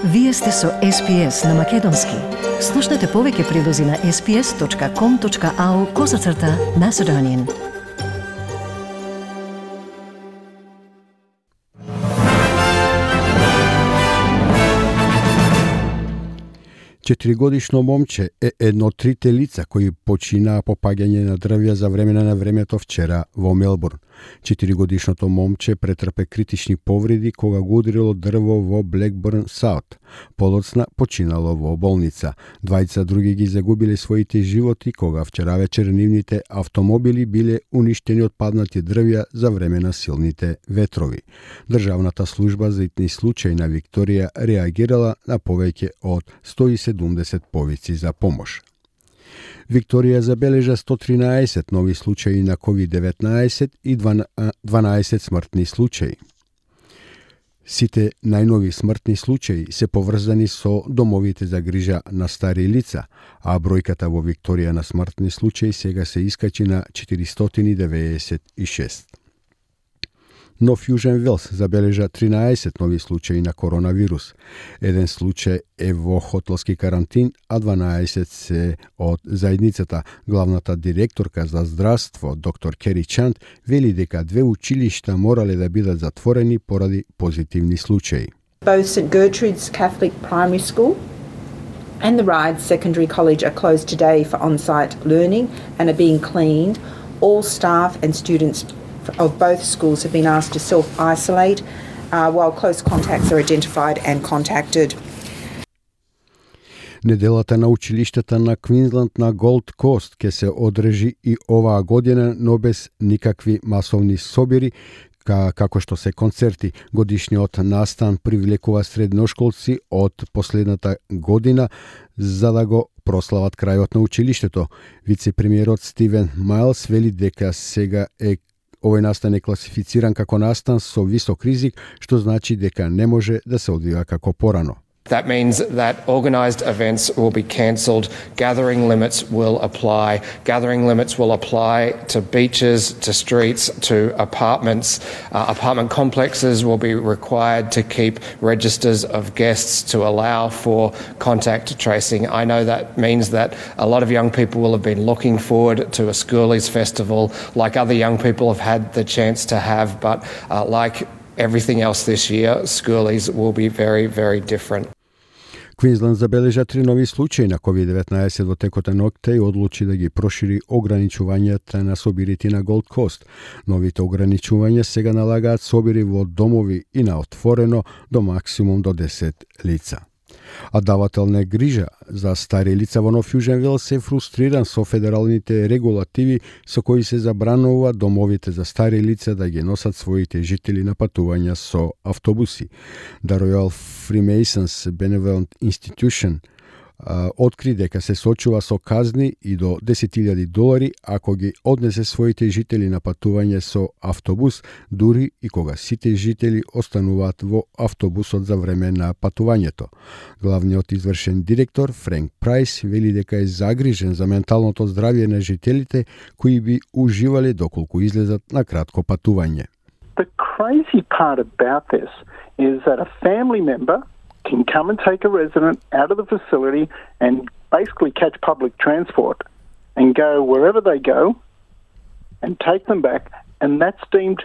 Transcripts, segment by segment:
Вие сте со SPS на Македонски. Слушнете повеќе прилози на sps.com.au/Macedonian. Четиригодишно момче е едно од трите лица кои починаа по паѓање на дрвја за време на времето вчера во Мелбурн. Четиригодишното момче претрпе критични повреди кога го удрило дрво во Блекбурн Саут. Подоцна починало во болница. Двајца други ги загубиле своите животи кога вчера вечер нивните автомобили биле уништени од паднати дрвја за време на силните ветрови. Државната служба за итни случаи на Викторија реагирала на повеќе од 170 повици за помош. Викторија забележа 113 нови случаи на COVID-19 и 12 смртни случаи. Сите најнови смртни случаи се поврзани со домовите за грижа на стари лица, а бројката во Викторија на смртни случаи сега се искачи на 496. Нов Јужен Велс забележа 13 нови случаи на коронавирус. Еден случај е во хотелски карантин, а 12 се од заедницата. Главната директорка за здравство, доктор Кери Чанд, вели дека две училишта морале да бидат затворени поради позитивни случаи. Both St Gertrude's Catholic Primary School and the Ryde Secondary College are closed today for on-site learning and are being cleaned. All staff and students of both schools have been asked to self-isolate while close contacts are identified and contacted. Неделата на училиштата на Квинсленд на Голд Кост ќе се одржи и оваа година, но без никакви масовни собири, како што се концерти. Годишниот настан привлекува средношколци од последната година за да го прослават крајот на училиштето. Вице-премиерот Стивен Майлс вели дека сега овој настан е класифициран како настан со висок ризик, што значи дека не може да се одвива како порано. That means that organised events will be cancelled, gathering limits will apply. Gathering limits will apply to beaches, to streets, to apartments. Apartment complexes will be required to keep registers of guests to allow for contact tracing. I know that means that a lot of young people will have been looking forward to a Schoolies festival like other young people have had the chance to have, but like everything else this year, Schoolies will be very, very different. Квинсленд забележа 3 нови случаи на COVID-19 во текот на ноќта и одлучи да ги прошири ограничувањата на собирите на Голд Кост. Новите ограничувања сега налагаат собири во домови и на отворено до максимум до 10 лица. А давател на грижа за стари лица во Нов Јужен Велс е фрустриран со федералните регулативи со кои се забранува домовите за стари лица да ги носат своите жители на патувања со автобуси. The Royal Freemasons Benevolent Institution откри дека се сочува со казни и до $10,000 ако ги однесе своите жители на патување со автобус, дури и кога сите жители остануваат во автобусот за време на патувањето. Главниот извршен директор Френк Прайс вели дека е загрижен за менталното здравје на жителите кои би уживале доколку излезат на кратко патување. The crazy part about this is that a family member can come and take a resident out of the facility and basically catch public transport and go wherever they go and take them back, and that's deemed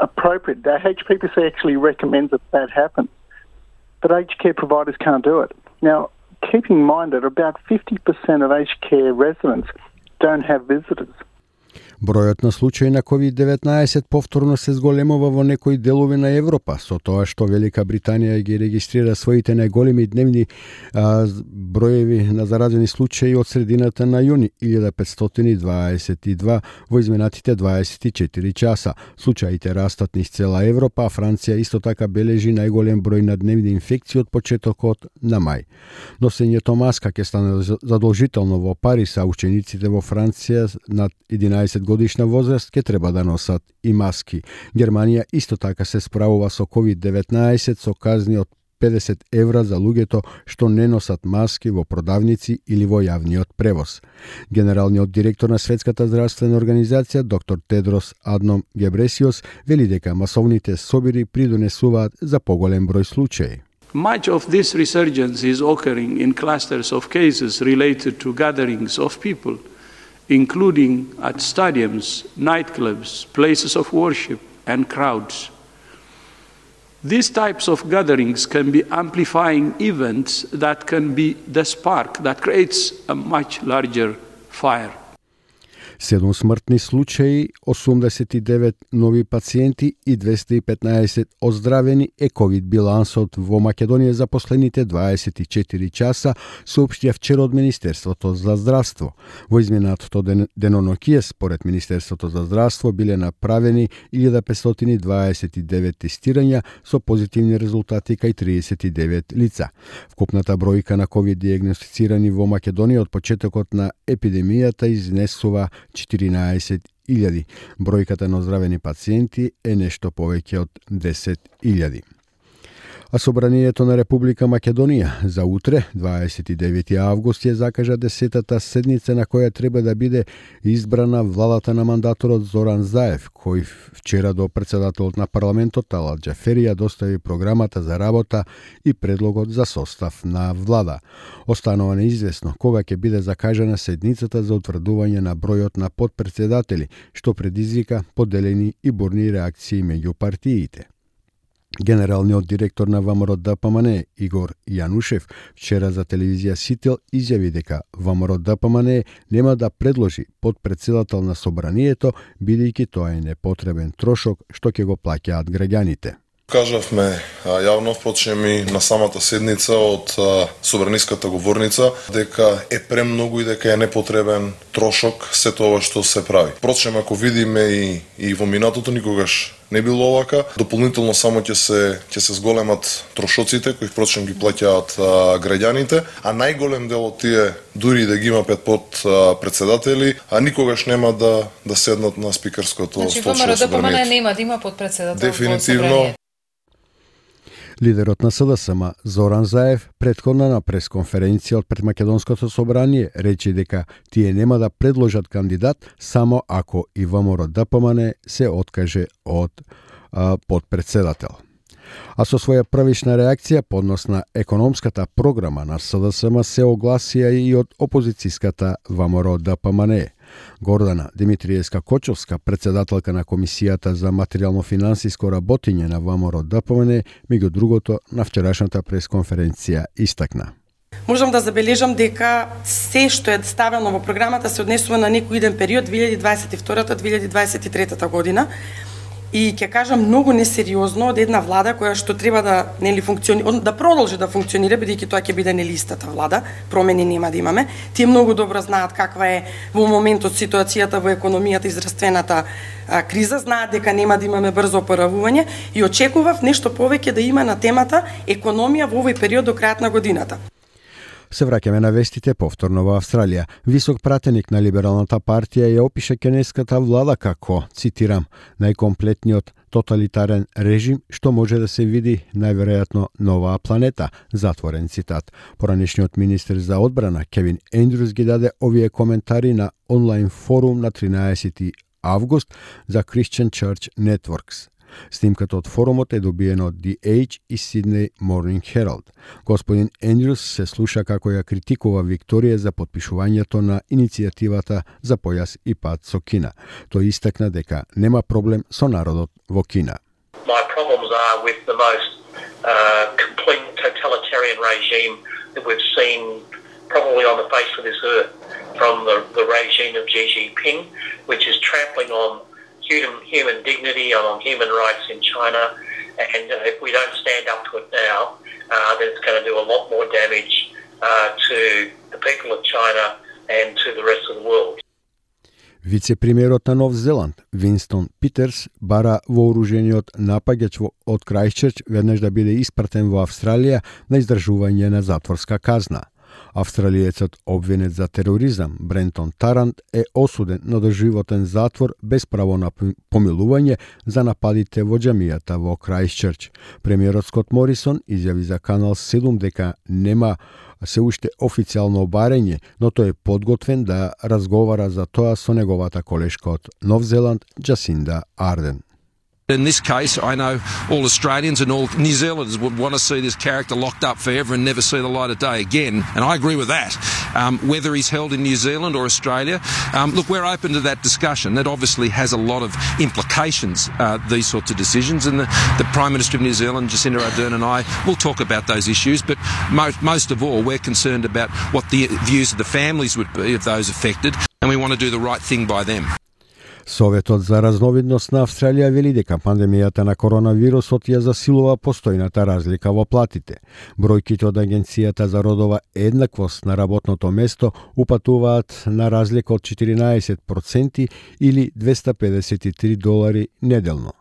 appropriate. The HPPC actually recommends that happens, but aged care providers can't do it. Now, keeping in mind that about 50% of aged care residents don't have visitors. Бројот на случаи на COVID-19 повторно се зголемува во некои делови на Европа, со тоа што Велика Британија ги регистрира своите најголеми дневни броеви на заразени случаи од средината на јуни, 1522 во изминатите 24 часа. Случаите растат низ цела Европа, а Франција исто така бележи најголем број на дневни инфекции од почетокот на мај. Носењето маска ќе стане задолжително во Париз, а учениците во Франција над 11 годишна возраст ќе треба да носат и маски. Германија исто така се справува со COVID-19 со казни од €50 за луѓето што не носат маски во продавници или во јавниот превоз. Генералниот директор на Светската здравствена организација, доктор Тедрос Адном Гебресиос, вели дека масовните собири придонесуваат за поголем број случаи. Much of this resurgence is occurring in clusters of cases related to gatherings of people, including at stadiums, nightclubs, places of worship, and crowds. These types of gatherings can be amplifying events that can be the spark that creates a much larger fire. 7 смртни случаи, 89 нови пациенти и 215 оздравени е ковид билансот во Македонија за последните 24 часа, соопштија вчера од Министерството за здравство. Во изминатото денонокие, според Министерството за здравство, биле направени 1529 тестирања со позитивни резултати кај 39 лица. Вкупната бројка на ковид диагностицирани во Македонија од почетокот на епидемијата изнесува 14.000. Бројката на оздравени пациенти е нешто повеќе од 10.000. А Собранието на Република Македонија за утре, 29 август, ја закажа 10-та седница на која треба да биде избрана владата на мандаторот Зоран Заев, кој вчера до председателот на парламентот Талат Џафери ја достави програмата за работа и предлогот за состав на влада. Останува неизвестно кога ќе биде закажана седницата за утврдување на бројот на подпредседатели, што предизвика поделени и бурни реакции меѓу партиите. Генералниот директор на ВМРО-ДПМН Игор Јанушев вчера за телевизија Сител изјави дека ВМРО-ДПМН нема да предложи подпредседател на Собранието, бидејќи тоа е непотребен трошок што ќе го плаќаат граѓаните. Кажавме јавно, впрочем и на самата седница од собраниската говорница, дека е премногу и дека е непотребен трошок се тоа што се прави. Впрочем, ако видиме и во минатото, никогаш не било овака. Дополнително само ќе се зголемат трошоците, кои впрочем ги плаќаат граѓаните, а најголем дел од тие, дури да ги има 5 подпредседатели, никогаш нема да седнат на спикерското столче на Собранието. Нема да има подпредседател. Дефинитивно. Лидерот на СДСМ Зоран Заев претходно на пресконференција од пред Македонското собрание рече дека тие нема да предложат кандидат само ако и ВМРО-ДПМН се откаже од подпредседател. А со своја првична реакција по однос на економската програма на СДСМ се огласија и од опозицијската ВМРО-ДПМН. Гордана Димитриевска-Кочовска, председателка на Комисијата за материјално-финансиско работење на ВМРО-ДПМН, меѓу другото на вчерашната пресконференција истакна. Можам да забележам дека се што е ставено во програмата се однесува на некој иден период 2022-2023 година. И ќе кажам многу несериозно од една влада која што треба да да продолжи да функционира, бидејќи тоа ќе биде истата влада, промени нема да имаме. Тие многу добро знаат каква е во моментот ситуацијата во економијата и здравствената криза, знаат дека нема да имаме брзо опоравување и очекував нешто повеќе да има на темата економија во овој период до крајот на годината. Се враќаме на вестите повторно во Австралија. Висок пратеник на либералната партија ја опиша кенеската влада како, цитирам, најкомплетниот тоталитарен режим што може да се види најверојатно на оваа планета, затворен цитат. Поранешниот министер за одбрана Кевин Ендрюс ги даде овие коментари на онлайн форум на 13 август за Christian Church Networks. Снимката од форумот е добиена од The Age и Sydney Morning Herald. Господин Ендрюс се слуша како ја критикува Викторија за подпишувањето на иницијативата за појас и пат со Кина. Тој истакна дека нема проблем со народот во Кина. My problems are with the most complete totalitarian regime that we've seen probably on the face of this earth, from the regime of Xi Jinping, which is trampling on human dignity and on human rights in China, and if we don't stand up to it now, then it's going to do a lot more damage to the people of China and to the rest of the world. Вице-премиерот на Нов Зеланд, Винстон Питерс, бара вооружениот напаѓач од Крајстчерч веднаш да биде испратен во Австралија на издржување на затворска казна. Австралиецот обвинет за тероризам Брентон Тарант е осуден на доживотен затвор без право на помилување за нападите во џамијата во Крајстчерч. Премиерот Скот Морисон изјави за Канал 7 дека нема се уште официјално барање, но тој е подготвен да разговара за тоа со неговата колешка од Нов Зеланд Џасинда Арден. In this case, I know all Australians and all New Zealanders would want to see this character locked up forever and never see the light of day again, and I agree with that. Whether he's held in New Zealand or Australia, look, we're open to that discussion. That obviously has a lot of implications, these sorts of decisions, and the Prime Minister of New Zealand, Jacinda Ardern, and I will talk about those issues, but most of all, we're concerned about what the views of the families would be of those affected, and we want to do the right thing by them. Советот за разновидност на Австралија вели дека пандемијата на коронавирусот ја засилува постојната разлика во платите. Бројките од Агенцијата за родова еднаквост на работното место упатуваат на разлика од 14% или $253 неделно.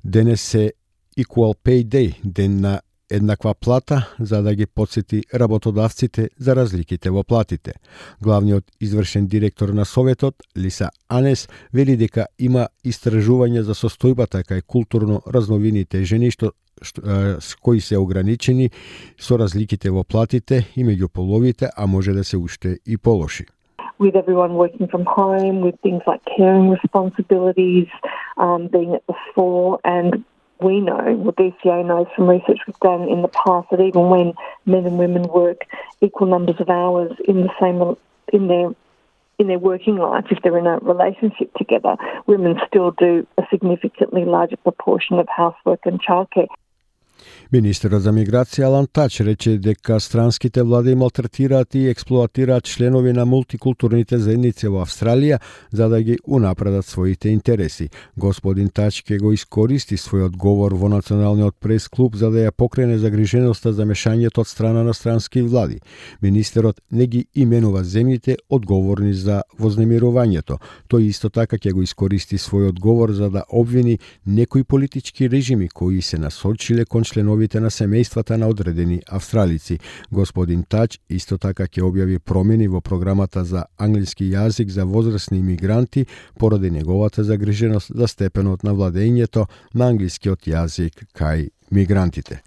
Денес е Equal Pay Day, ден на еднаква плата, за да ги потсети работодавците за разликите во платите. Главниот извршен директор на Советот, Лиса Анес, вели дека има истражување за состојбата кај културно разновидните жени кои се ограничени со разликите во платите и меѓу половите, а може да се уште и полоши. With everyone working from home, with things like caring responsibilities, being at the fore, and we know, well, DCA knows from research we've done in the past, that even when men and women work equal numbers of hours in their working life, if they're in a relationship together, women still do a significantly larger proportion of housework and childcare. Министерот за миграција Алан Тач рече дека странските влади малтретираат и експлоатираат членови на мултикултурните заедници во Австралија за да ги унапредат своите интереси. Господин Тач ќе го искористи својот говор во Националниот прес-клуб за да ја покрене загриженоста за мешањето од страна на странски влади. Министерот не ги именува земјите одговорни за вознемирувањето. Тој исто така ќе го искористи својот говор за да обвини некои политички режими кои се насочиле кон членовите на семејствата на одредени австралици. Господин Тач исто така ќе објави промени во програмата за англиски јазик за возрастни имигранти поради неговата загриженост за степенот на владењето на англискиот јазик кај мигрантите.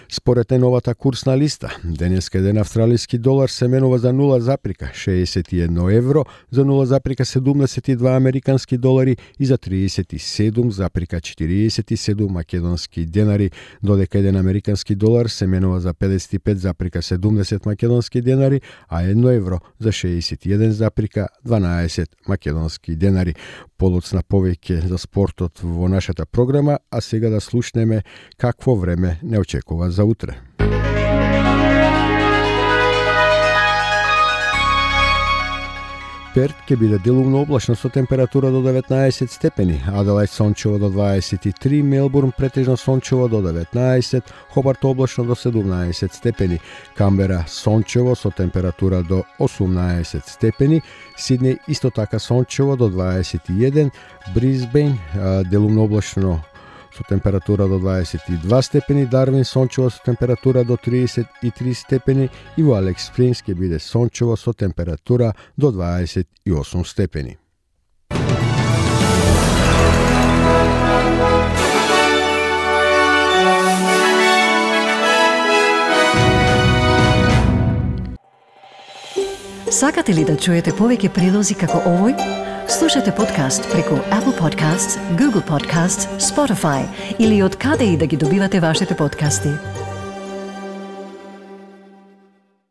Според новата курсна листа, денеска еден австралиски долар се менува за 0,61 евро, за 0,72 американски долари и за 37,47 македонски денари, додека еден американски долар се менува за 55,70 македонски денари, а 1 евро за 61,12 македонски денари. Полоцна повеќе за спортот во нашата програма, а сега да слушнеме какво време не очекува за утре. Перт ќе биде делумно облачно со температура до 19 степени, Аделајд сончево до 23, Мелбурн претежно сончево до 19, Хобарт облачно до 17 степени, Камбера сончево со температура до 18 степени, Сиднеј исто така сончево до 21, Брисбејн делумно облачно со температура до 22 степени, Дарвин сончево со температура до 33 степени и во Алекс Спрингс ќе биде сончево со температура до 28 степени. Сакате ли да чуете повеќе прилози како овој? Слушате подкаст преку Apple Podcasts, Google Podcasts, Spotify или од каде и да ги добивате вашите подкасти.